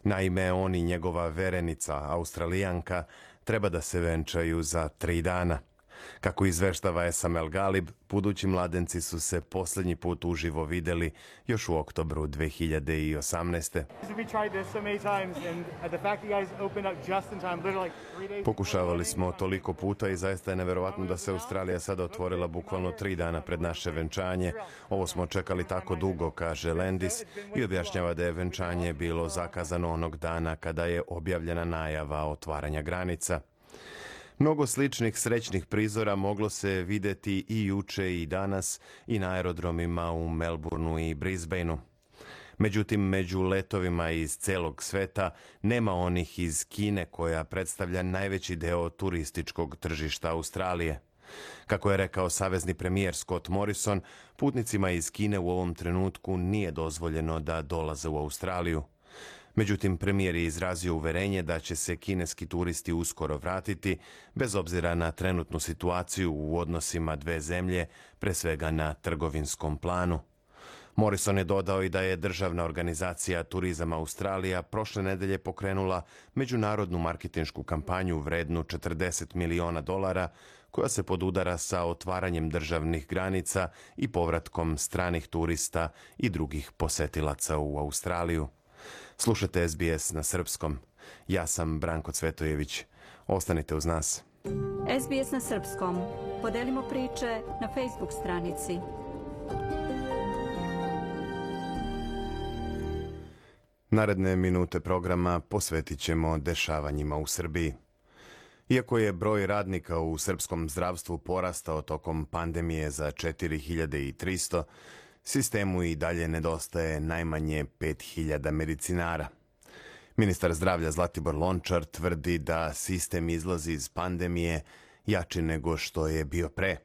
Naime, on i njegova verenica, Australijanka, treba da se venčaju za 3 dana. Kako izveštava SML Galib, budući mladenci su se posljednji put uživo videli još u oktobru 2018. Pokušavali smo toliko puta i zaista je neverovatno da se Australija sada otvorila bukvalno 3 dana pred naše venčanje. Ovo smo čekali tako dugo, kaže Landis, i objašnjava da je venčanje bilo zakazano onog dana kada je objavljena najava otvaranja granica. Mnogo sličnih srećnih prizora moglo se videti i juče i danas i na aerodromima u Melbourneu i Brisbaneu. Međutim, među letovima iz celog sveta nema onih iz Kine koja predstavlja najveći deo turističkog tržišta Australije. Kako je rekao savezni premijer Scott Morrison, putnicima iz Kine u ovom trenutku nije dozvoljeno da dolaze u Australiju. Međutim, premijer je izrazio uverenje da će se kineski turisti uskoro vratiti, bez obzira na trenutnu situaciju u odnosima dve zemlje, pre svega na trgovinskom planu. Morrison je dodao i da je državna organizacija Turizam Australija prošle nedelje pokrenula međunarodnu marketinšku kampanju vrednu $40 miliona, koja se podudara sa otvaranjem državnih granica i povratkom stranih turista i drugih posetilaca u Australiju. Slušate SBS na srpskom. Ja sam Branko Cvetojević. Ostanite uz nas. SBS na srpskom. Podelimo priče na Facebook stranici. Naredne minute programa posvetit ćemo dešavanjima u Srbiji. Iako je broj radnika u srpskom zdravstvu porastao tokom pandemije za 4300, sistemu i dalje nedostaje najmanje 5000 medicinara. Ministar zdravlja Zlatibor Lončar tvrdi da sistem izlazi iz pandemije jači nego što je bio pre.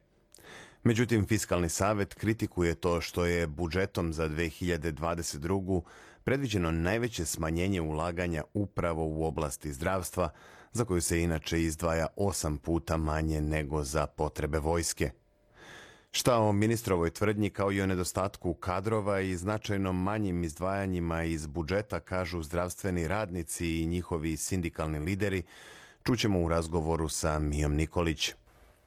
Međutim, Fiskalni savet kritikuje to što je budžetom za 2022. predviđeno najveće smanjenje ulaganja upravo u oblasti zdravstva, za koju se inače izdvaja 8 puta manje nego za potrebe vojske. Šta o ministrovoj tvrdnji kao i o nedostatku kadrova i značajno manjim izdvajanjima iz budžeta kažu zdravstveni radnici i njihovi sindikalni lideri, čućemo u razgovoru sa Mijom Nikolić.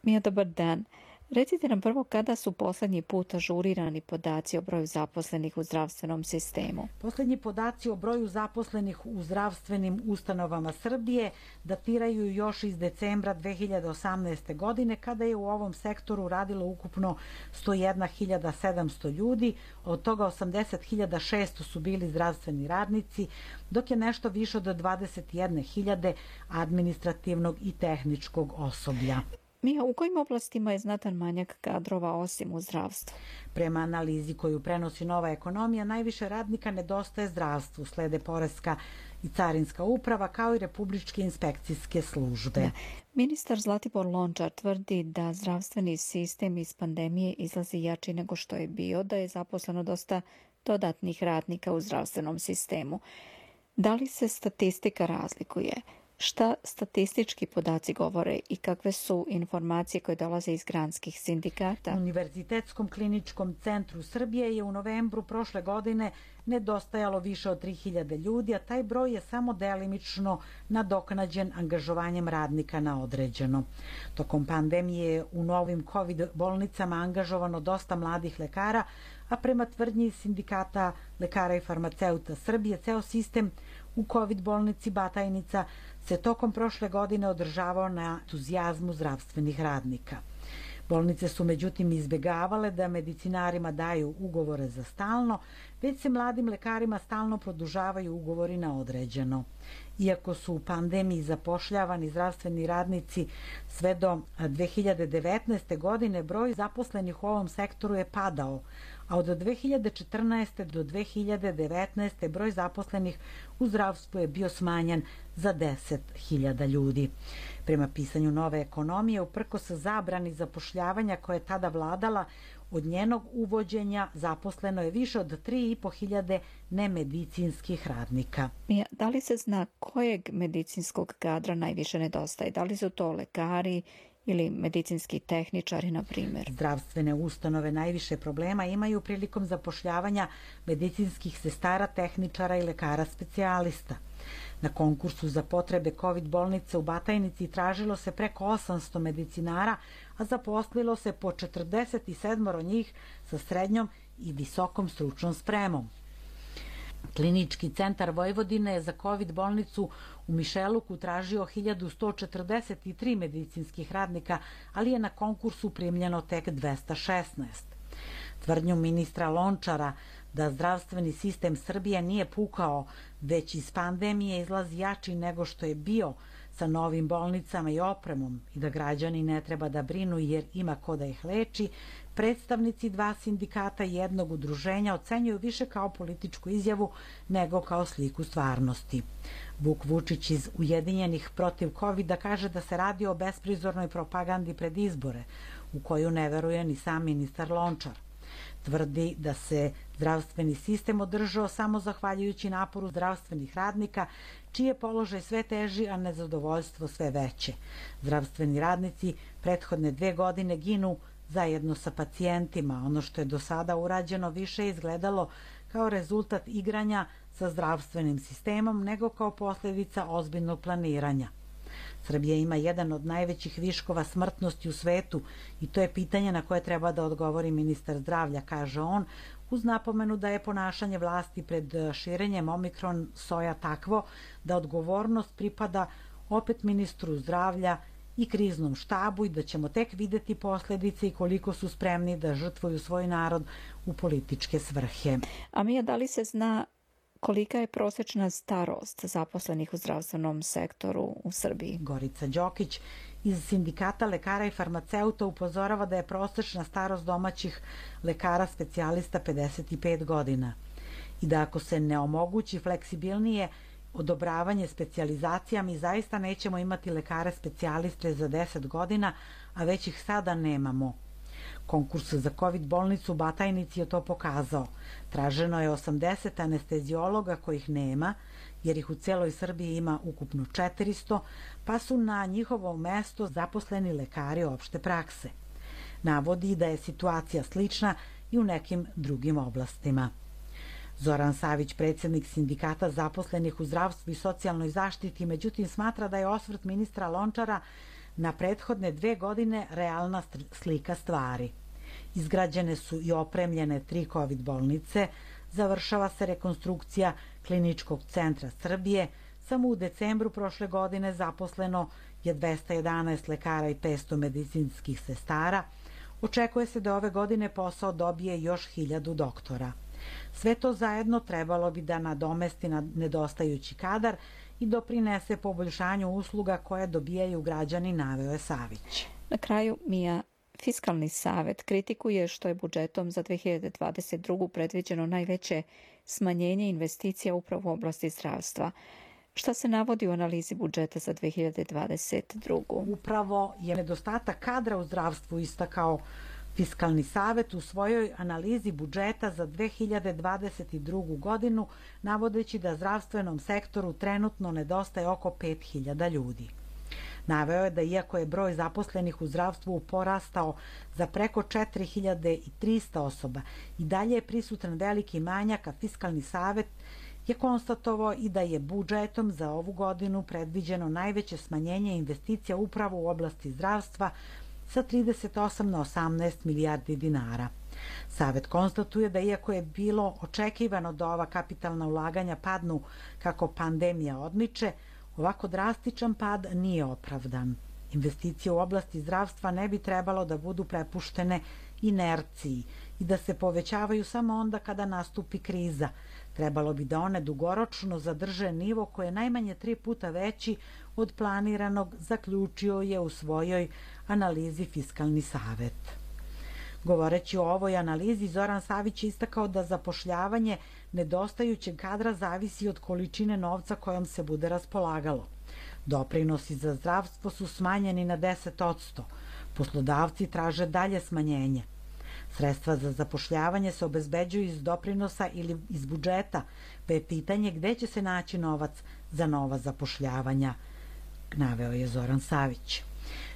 Mija, dobar dan. Recite nam prvo kada su posljednji put ažurirani podaci o broju zaposlenih u zdravstvenom sistemu. Posljednji podaci o broju zaposlenih u zdravstvenim ustanovama Srbije datiraju još iz decembra 2018. godine, kada je u ovom sektoru radilo ukupno 101.700 ljudi, od toga 80.600 su bili zdravstveni radnici, dok je nešto više od 21.000 administrativnog i tehničkog osoblja. Mija, u kojim oblastima je znatan manjak kadrova osim u zdravstvu? Prema analizi koju prenosi Nova ekonomija, najviše radnika nedostaje zdravstvu, slede poreska i carinska uprava, kao i republičke inspekcijske službe. Da. Ministar Zlatibor Lončar tvrdi da zdravstveni sistem iz pandemije izlazi jači nego što je bio, da je zaposleno dosta dodatnih radnika u zdravstvenom sistemu. Da li se statistika razlikuje? Šta statistički podaci govore i kakve su informacije koje dolaze iz granskih sindikata? Univerzitetskom kliničkom centru Srbije je u novembru prošle godine nedostajalo više od 3000 ljudi, a taj broj je samo delimično nadoknađen angažovanjem radnika na određeno. Tokom pandemije je u novim COVID bolnicama angažovano dosta mladih lekara, a prema tvrdnji sindikata lekara i farmaceuta Srbije, ceo sistem u COVID bolnici Batajnica se tokom prošle godine održavao na entuzijazmu zdravstvenih radnika. Bolnice su međutim izbjegavale da medicinarima daju ugovore za stalno, već se mladim lekarima stalno produžavaju ugovori na određeno. Iako su u pandemiji zapošljavani zdravstveni radnici sve do 2019. godine, broj zaposlenih u ovom sektoru je padao, a od 2014. do 2019. broj zaposlenih u zdravstvu je bio smanjen za 10.000 ljudi. Prema pisanju Nove ekonomije, uprkos zabrani zapošljavanja koja je tada vladala, od njenog uvođenja zaposleno je više od 3.500 nemedicinskih radnika. Da li se zna kojeg medicinskog kadra najviše nedostaje? Da li su to lekari ili medicinski tehničari, na primjer? Zdravstvene ustanove najviše problema imaju prilikom zapošljavanja medicinskih sestara, tehničara i lekara specijalista. Na konkursu za potrebe COVID bolnice u Batajnici tražilo se preko 800 medicinara, a zaposlilo se po 47 njih sa srednjom i visokom stručnom spremom. Klinički centar Vojvodine je za COVID bolnicu u Mišeluku tražio 1143 medicinskih radnika, ali je na konkursu primljeno tek 216. Tvrdnju ministra Lončara da zdravstveni sistem Srbije nije pukao, već iz pandemije izlazi jači nego što je bio, sa novim bolnicama i opremom, i da građani ne treba da brinu jer ima ko da ih leči, predstavnici 2 sindikata i jednog udruženja ocenjuju više kao političku izjavu nego kao sliku stvarnosti. Vuk Vučić iz Ujedinjenih protiv COVID-a kaže da se radi o besprizornoj propagandi pred izbore, u koju ne veruje ni sam ministar Lončar. Tvrdi da se zdravstveni sistem održao samo zahvaljujući naporu zdravstvenih radnika, čiji je položaj sve teži, a nezadovoljstvo sve veće. Zdravstveni radnici prethodne 2 godine ginu zajedno sa pacijentima. Ono što je do sada urađeno više izgledalo kao rezultat igranja sa zdravstvenim sistemom nego kao posljedica ozbiljnog planiranja. Srbija ima jedan od najvećih viškova smrtnosti u svetu i to je pitanje na koje treba da odgovori ministar zdravlja, kaže on, uz napomenu da je ponašanje vlasti pred širenjem omikron soja takvo da odgovornost pripada opet ministru zdravlja i kriznom štabu i da ćemo tek videti posljedice i koliko su spremni da žrtvuju svoj narod u političke svrhe. A Mija, da li se zna kolika je prosječna starost zaposlenih u zdravstvenom sektoru u Srbiji? Gorica Đokić iz sindikata lekara i farmaceuta upozorava da je prosječna starost domaćih lekara specijalista 55 godina i da ako se ne omogući fleksibilnije odobravanje specijalizacija, mi zaista nećemo imati lekare specijaliste za 10 godina, a već ih sada nemamo. Konkurs za COVID bolnicu u Batajnici je to pokazao. Traženo je 80 anestezijologa kojih nema, jer ih u celoj Srbiji ima ukupno 400, pa su na njihovo mesto zaposleni lekari opšte prakse. Navodi da je situacija slična i u nekim drugim oblastima. Zoran Savić, predsjednik sindikata zaposlenih u zdravstvu i socijalnoj zaštiti, međutim smatra da je osvrt ministra Lončara na prethodne 2 godine realna slika stvari. Izgrađene su i opremljene 3 COVID bolnice, završava se rekonstrukcija kliničkog centra Srbije, samo u decembru prošle godine zaposleno je 211 lekara i 500 medicinskih sestara, očekuje se da ove godine posao dobije još 1000 doktora. Sve to zajedno trebalo bi da nadomesti nedostajući kadar i doprinese poboljšanju usluga koje dobijaju građani, naveo je Savić. Na kraju, Mija, Fiskalni savet kritikuje što je budžetom za 2022. predviđeno najveće smanjenje investicija upravo u oblasti zdravstva. Šta se navodi u analizi budžeta za 2022? Upravo je nedostatak kadra u zdravstvu istakao Fiskalni savet u svojoj analizi budžeta za 2022. godinu navodeći da zdravstvenom sektoru trenutno nedostaje oko 5.000 ljudi. Naveo je da iako je broj zaposlenih u zdravstvu porastao za preko 4.300 osoba, i dalje je prisutan veliki manjak, a Fiskalni savet je konstatovao i da je budžetom za ovu godinu predviđeno najveće smanjenje investicija upravo u oblasti zdravstva sa 38 na 18 milijardi dinara. Savet konstatuje da iako je bilo očekivano da ova kapitalna ulaganja padnu kako pandemija odmiče, ovako drastičan pad nije opravdan. Investicije u oblasti zdravstva ne bi trebalo da budu prepuštene inerciji i da se povećavaju samo onda kada nastupi kriza. Trebalo bi da one dugoročno zadrže nivo koji je najmanje 3 puta veći od planiranog, zaključio je u svojoj analizi Fiskalni savet. Govoreći o ovoj analizi, Zoran Savić je istakao da zapošljavanje nedostajućeg kadra zavisi od količine novca kojom se bude raspolagalo. Doprinosi za zdravstvo su smanjeni na 10%. Poslodavci traže dalje smanjenje. Sredstva za zapošljavanje se obezbeđuju iz doprinosa ili iz budžeta, pa je pitanje gde će se naći novac za nova zapošljavanja, naveo je Zoran Savić.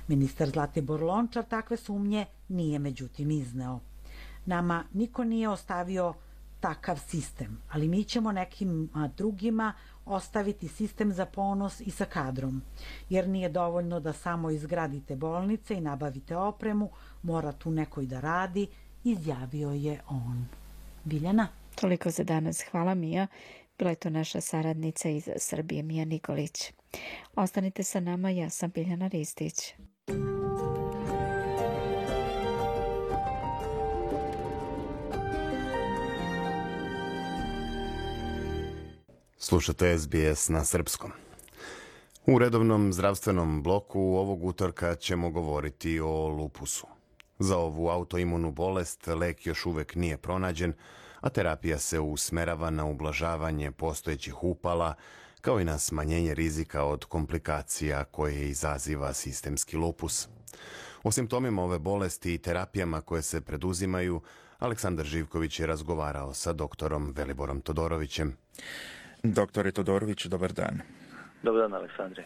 Ministar Zlatibor Lončar takve sumnje nije međutim izneo. Nama niko nije ostavio takav sistem, ali mi ćemo nekim drugima ostaviti sistem za ponos i sa kadrom, jer nije dovoljno da samo izgradite bolnice i nabavite opremu, mora tu neko i da radi, izjavio je on. Biljana? Toliko za danas. Hvala, Mija. Bila je to naša saradnica iz Srbije, Mija Nikolić. Ostanite sa nama, ja sam Biljana Ristić. Slušate SBS na srpskom. U redovnom zdravstvenom bloku ovog utorka ćemo govoriti o lupusu. Za ovu autoimunu bolest lek još uvek nije pronađen, a terapija se usmerava na ublažavanje postojećih upala, kao i na smanjenje rizika od komplikacija koje izaziva sistemski lupus. O simptomima ove bolesti i terapijama koje se preduzimaju, Aleksandar Živković je razgovarao sa doktorom Veliborom Todorovićem. Doktore Todorović, dobar dan. Dobar dan, Aleksandre.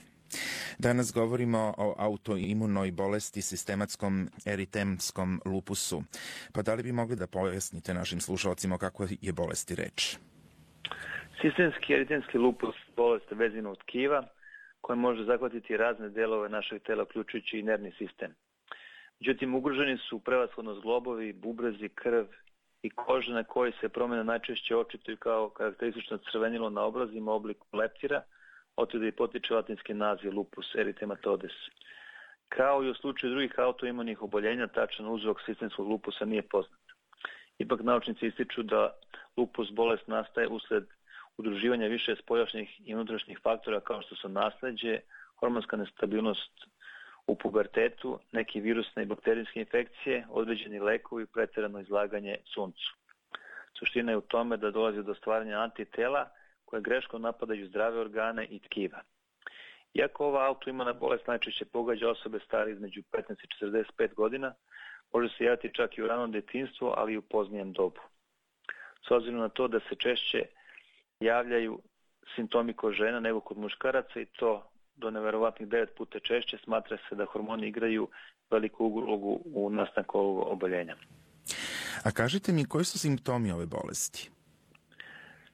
Danas govorimo o autoimunoj bolesti, sistematskom eritemskom lupusu. Pa da li bi mogli da pojasnite našim slušalcima o kakvoj je bolesti reč? Sistemski eritemski lupus bolest vezivnog tkiva koja može zahvatiti razne delove našeg tela, uključujući i nervni sistem. Međutim, ugroženi su prevashodno zglobovi, bubrezi, krv i koža na kojoj se promjena najčešće očituju kao karakteristično crvenilo na obrazima u obliku leptira, otuda i potiče latinski naziv lupus eritematodes. Kao i u slučaju drugih autoimunih oboljenja, tačan uzrok sistemskog lupusa nije poznat. Ipak naučnici ističu da lupus bolest nastaje usled udruživanja više spoljašnjih i unutrašnjih faktora kao što su nasleđe, hormonska nestabilnost u pubertetu, neke virusne i bakterijske infekcije, određeni lekovi i pretjerano izlaganje suncu. Suština je u tome da dolazi do stvaranja antitela koje greškom napadaju zdrave organe i tkiva. Iako ova autoimuna bolest najčešće pogađa osobe stare između 15 i 45 godina, može se javiti čak i u ranom djetinjstvu, ali i u poznijem dobu. S obzirom na to da se češće javljaju simptomi kod žena nego kod muškaraca i to do neverovatnih 9 puta češće, smatra se da hormoni igraju veliku ulogu u nastanku ovog oboljenja. A kažite mi, koji su simptomi ove bolesti?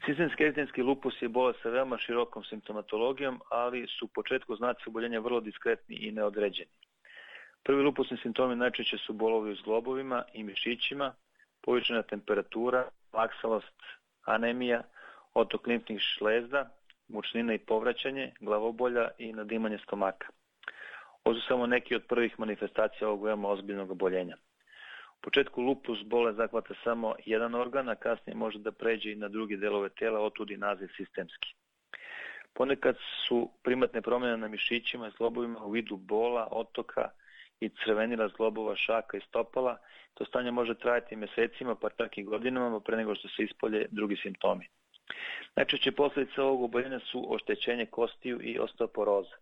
Sistemski eritemski lupus je bolest sa veoma širokom simptomatologijom, ali su u početku znaci oboljenja vrlo diskretni i neodređeni. Prvi lupusni simptomi najčešće su bolovi u zglobovima i mišićima, povišena temperatura, laksavost, anemija, otok limfnih žlezda, mučnina i povraćanje, glavobolja i nadimanje stomaka. Ovo su samo neki od prvih manifestacija ovog veoma ozbiljnog oboljenja. U početku lupus bolest zahvata samo jedan organ, a kasnije može da pređe i na druge delove tela, otud i naziv sistemski. Ponekad su primatne promjene na mišićima i zglobovima u vidu bola, otoka i crvenila zglobova, šaka i stopala. To stanje može trajati mesecima, pa čak i godinama, pre nego što se ispolje drugi simptomi. Najčešće posljedice ovog oboljenja su oštećenje kostiju i osteoporoza.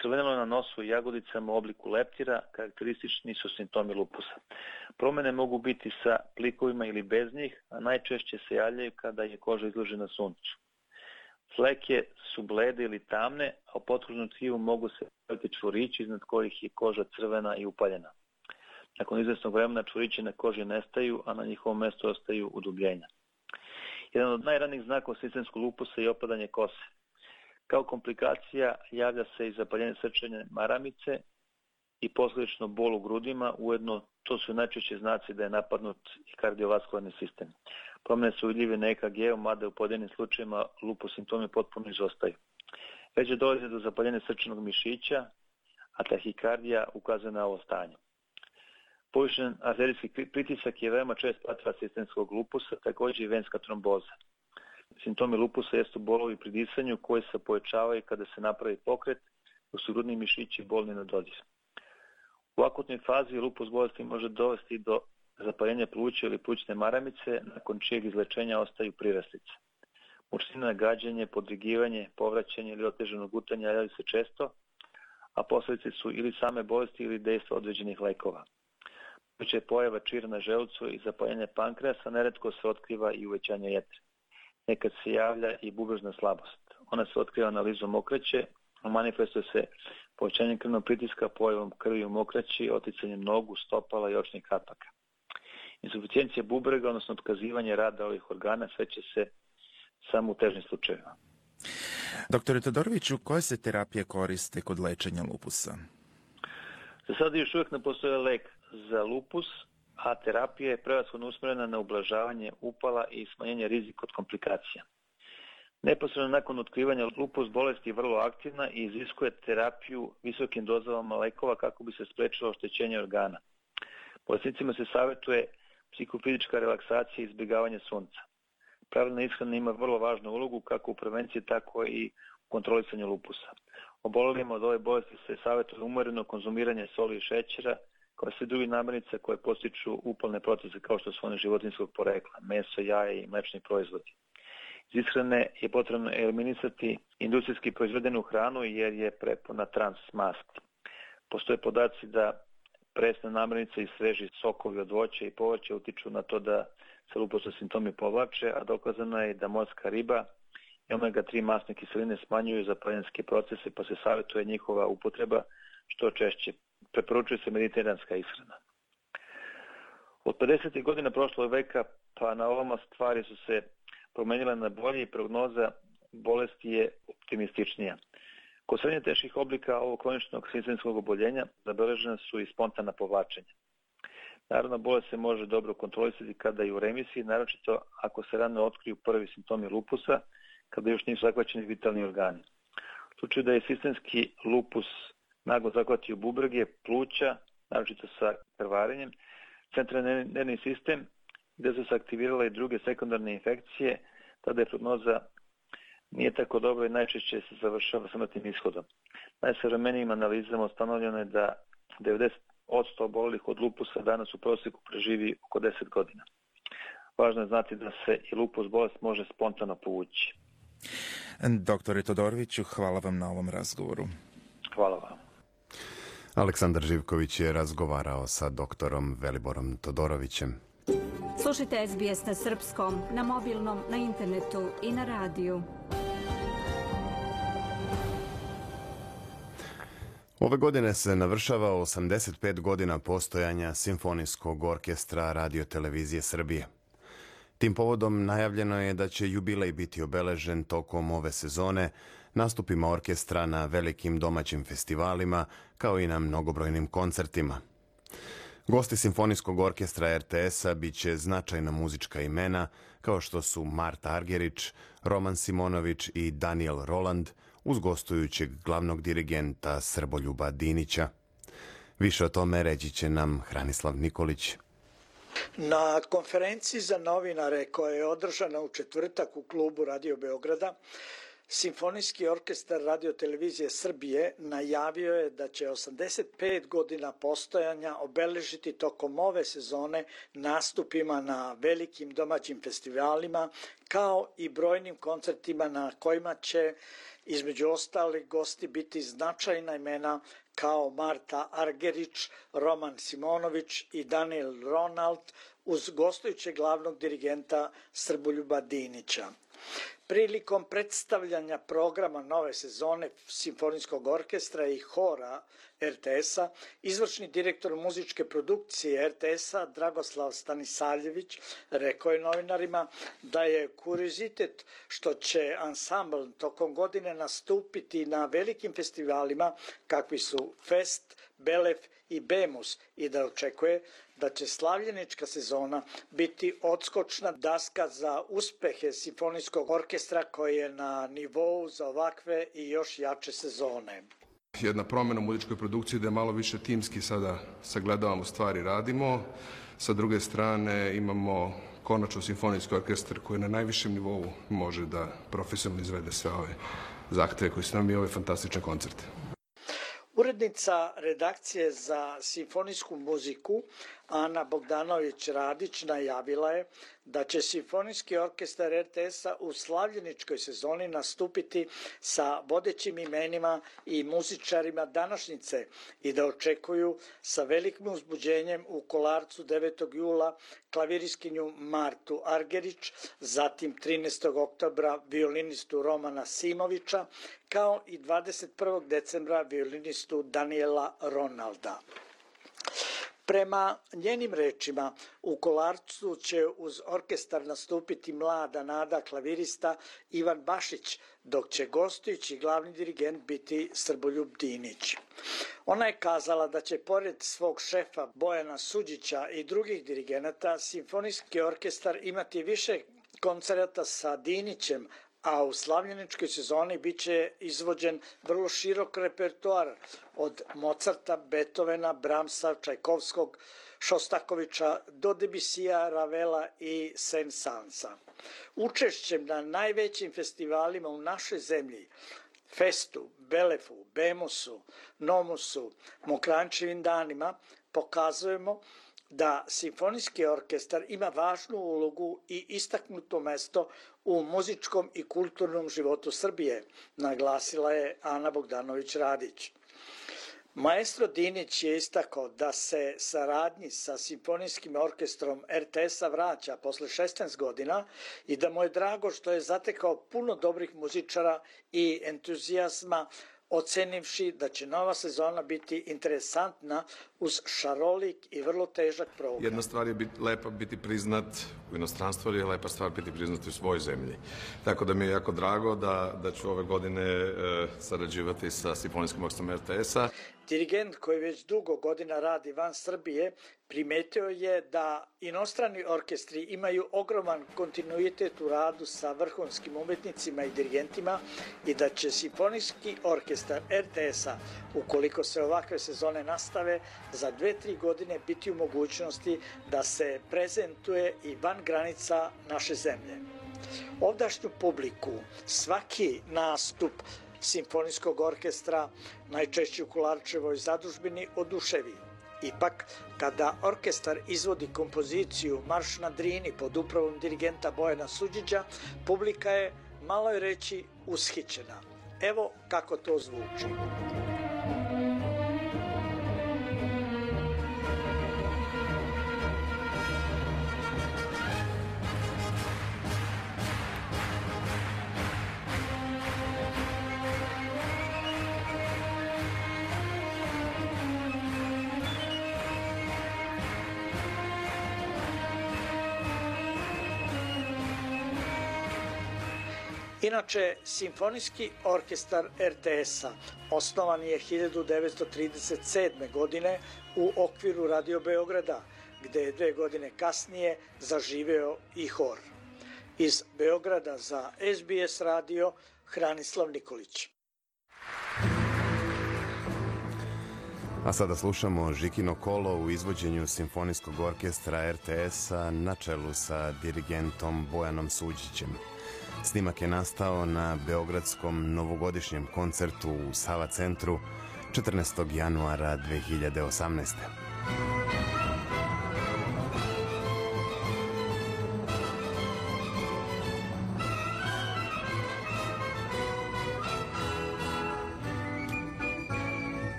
Crvenilo na nosu i jagodicama u obliku leptira karakteristični su simptomi lupusa. Promene mogu biti sa plikovima ili bez njih, a najčešće se javljaju kada je koža izložena suncu. Fleke su blede ili tamne, a u potkožnom tkivu mogu se pojaviti čvorići iznad kojih je koža crvena i upaljena. Nakon izvesnog vremena čvorići na koži nestaju, a na njihovom mestu ostaju udubljenja. Jedan od najranijih znakova sistemskog lupusa je opadanje kose. Kao komplikacija javlja se i zapaljenje srčane maramice i posljedično bol u grudima, ujedno to su najčešće znaci da je napadnut i kardiovaskularni sistem. Promene su vidljive na EKG-u, mada u pojedinim slučajevima lupus simptomi potpuno izostaju. Već dolazi do zapaljenja srčanog mišića, a tahikardija ukazuje na ovo stanje. Povišen arterijski pritisak je veoma čest pratilac sistemskog lupusa, također i venska tromboza. Simptomi lupusa jesu bolovi pri disanju koji se povećavaju kada se napravi pokret, dok su grudni mišići bolni na dodir. U akutnoj fazi lupus bolesti može dovesti do zapaljenja pluća ili plućne maramice, nakon čijeg izlečenja ostaju priraslice. Mučnina, gađanje, podrigivanje, povraćanje ili otežano gutanje javljaju se često, a posljedice su ili same bolesti ili dejstva određenih lekova. Moguća je pojava čira na želucu i zapaljenje pankreasa, neretko se otkriva i uvećanje jetre. Nekad se javlja i bubrežna slabost. Ona se otkriva analizom mokraće, a manifestuje se povećanjem krvnog pritiska, pojavom krvi u mokraći, oticanjem nogu, stopala i očnih kapaka. Insuficijencija bubrega, odnosno otkazivanje rada ovih organa, sveće se samo u težnim slučajevima. Doktore Todoroviću, koje se terapije koriste kod lečenja lupusa? Za sada još uvijek ne postoji lek za lupus, a terapija je prevashodno usmjerena na ublažavanje upala i smanjenje rizika od komplikacija. Neposredno nakon otkrivanja lupus bolesti je vrlo aktivna i iziskuje terapiju visokim dozama lekova kako bi se spriječilo oštećenje organa. Bolesnicima se savjetuje psihofizička relaksacija i izbjegavanje sunca. Pravilna ishrana ima vrlo važnu ulogu kako u prevenciji, tako i u kontrolisanju lupusa. Obolelima od ove bolesti se savjetuje umjereno konzumiranje soli i šećera, kao i sve druge namirnice koje postiču upalne procese kao što su one životinjskog porekla, meso, jaje i mlečni proizvodi. Iz ishrane je potrebno eliminisati industrijski proizvedenu hranu jer je prepuna trans masti. Postoje podaci da presne namirnice i sveži sokovi od voća i povrća utiču na to da se lupusni simptomi povlače, a dokazano je da morska riba i omega-3 masne kiseline smanjuju zapaljenske procese, pa se savjetuje njihova upotreba što češće. Preporučuje se mediteranska ishrana. Od 50. godina prošlog veka pa na ovamo stvari su se promenile na bolje i prognoza bolesti je optimističnija. Kod srednje teških oblika ovog kroničnog sistemskog oboljenja zabeležena su i spontana povlačenja. Naravno, bolest se može dobro kontrolisati kada je u remisiji, naročito ako se rano otkriju prvi simptomi lupusa, kada još nisu zahvaćeni vitalni organi. U slučaju da je sistemski lupus naglo zahvatio bubrege, pluća, naročito sa krvarenjem, centralni nervni sistem, gdje su se aktivirale i druge sekundarne infekcije, tada je prognoza nije tako dobro i najčešće se završava smrtnim ishodom. Najsavremenijim analizama ustanovljeno je da 90% obolelih od lupusa danas u prosjeku preživi oko 10 godina. Važno je znati da se i lupus bolest može spontano povući. Doktore Todoroviću, hvala vam na ovom razgovoru. Hvala vam. Aleksandar Živković je razgovarao sa doktorom Veliborom Todorovićem. Slušajte SBS na srpskom, na mobilnom, na internetu i na radiju. Ove godine se navršava 85 godina postojanja Simfonijskog orkestra Radio-televizije Srbije. Tim povodom najavljeno je da će jubilej biti obeležen tokom ove sezone nastupima orkestra na velikim domaćim festivalima, kao i na mnogobrojnim koncertima. Gosti Simfonijskog orkestra RTS-a bit će značajna muzička imena, kao što su Marta Argerić, Roman Simonović i Daniel Roland, uz gostujućeg glavnog dirigenta Srboljuba Dinića. Više o tome reći će nam Hranislav Nikolić. Na konferenciji za novinare koja je održana u četvrtak u klubu Radio Beograda, Simfonijski orkestar Radio-televizije Srbije najavio je da će 85 godina postojanja obeležiti tokom ove sezone nastupima na velikim domaćim festivalima, kao i brojnim koncertima na kojima će između ostalih gosti biti značajna imena kao Marta Argerić, Roman Simonović i Daniel Ronald uz gostujućeg glavnog dirigenta Srboljuba Dinića. Prilikom predstavljanja programa nove sezone Simfonijskog orkestra i hora RTS-a, izvršni direktor muzičke produkcije RTS-a Dragoslav Stanisaljević rekao je novinarima da je kuriozitet što će ansambl tokom godine nastupiti na velikim festivalima kakvi su Fest, Belef i Bemus i da očekuje da će slavljenička sezona biti odskočna daska za uspehe simfonijskog orkestra koji je na nivou za ovakve i još jače sezone. Jedna promjena u muzičkoj produkciji da je malo više timski sada sagledavamo stvari, radimo. Sa druge strane imamo konačno simfonijski orkestar koji na najvišem nivou može da profesionalno izvede sve ove zahteve koji su nam i ove fantastične koncerte. Urednica redakcije za simfonijsku muziku Ana Bogdanović-Radić najavila je da će Simfonijski orkestar RTS-a u slavljeničkoj sezoni nastupiti sa vodećim imenima i muzičarima današnjice i da očekuju sa velikim uzbuđenjem u Kolarcu 9. jula klaviriskinju Martu Argerić, zatim 13. oktobra violinistu Romana Simovića, kao i 21. decembra violinistu Daniela Ronalda. Prema njenim rečima, u Kolarcu će uz orkestar nastupiti mlada nada klavirista Ivan Bašić, dok će gostujući glavni dirigent biti Srboljub Dinić. Ona je kazala da će pored svog šefa Bojana Suđića i drugih dirigenata Simfonijski orkestar imati više koncerata sa Dinićem, a u slavljeničkoj sezoni bit će izvođen vrlo širok repertoar od Mozarta, Beethovena, Brahmsa, Čajkovskog, Šostakovića do Debusija, Ravela i Saint-Sansa. Učešćem na najvećim festivalima u našoj zemlji, Festu, Belefu, Bemusu, Nomusu, Mokrančevim danima, pokazujemo da Simfonijski orkestar ima važnu ulogu i istaknuto mesto u muzičkom i kulturnom životu Srbije, naglasila je Ana Bogdanović-Radić. Maestro Dinić je istakao da se saradnji sa Simfonijskim orkestrom RTS-a vraća posle 16 godina i da mu je drago što je zatekao puno dobrih muzičara i entuzijazma, ocenivši da će nova sezona biti interesantna uz šarolik i vrlo težak program. Jedna stvar je lepa biti priznat u inostranstvu, ali je lepa stvar biti priznat u svojoj zemlji. Tako da mi je jako drago da ću ove godine sarađivati sa Simfonijskim orkestrom RTS-a. Dirigent koji već dugo godina radi van Srbije primetio je da inostrani orkestri imaju ogroman kontinuitet u radu sa vrhunskim umetnicima i dirigentima i da će Simfonijski orkestar RTS-a, ukoliko se ovakve sezone nastave, za 2-3 godine biti u mogućnosti da se prezentuje i van granica naše zemlje. Ovdašnju publiku svaki nastup Simfonijskog orkestra, najčešće u Kolarčevoj zadužbini, oduševi. Ipak, kada orkestar izvodi kompoziciju Marš na Drini pod upravom dirigenta Bojana Suđića, publika je, malo je reći, ushićena. Evo kako to zvuči. Inače, Simfonijski orkestar RTS-a osnovan je 1937. godine u okviru Radio Beograda, gde je 2 godine kasnije zaživeo i hor. Iz Beograda za SBS radio, Hranislav Nikolić. A sada slušamo Žikino kolo u izvođenju Simfonijskog orkestra RTS-a na čelu sa dirigentom Bojanom Suđićem. Snimak je nastao na beogradskom novogodišnjem koncertu u Sava centru 14. januara 2018.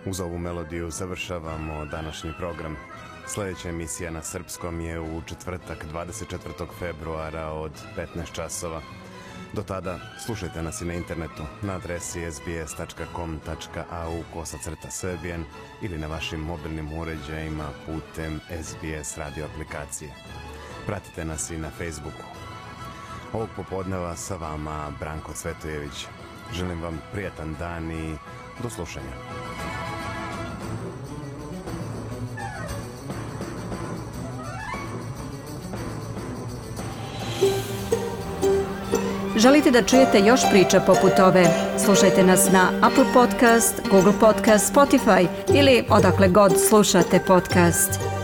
Uz ovu melodiju završavamo današnji program. Sljedeća emisija na srpskom je u četvrtak 24. februara od 15 časova. Do tada slušajte nas i na internetu na adresi sbs.com.au/Serbian ili na vašim mobilnim uređajima putem SBS radio aplikacije. Pratite nas i na Facebooku. Ovog popodneva sa vama Branko Cvetojević. Želim vam prijatan dan i do slušanja. Želite da čujete još priča poput ove? Slušajte nas na Apple Podcast, Google Podcast, Spotify ili odakle god slušate podcast.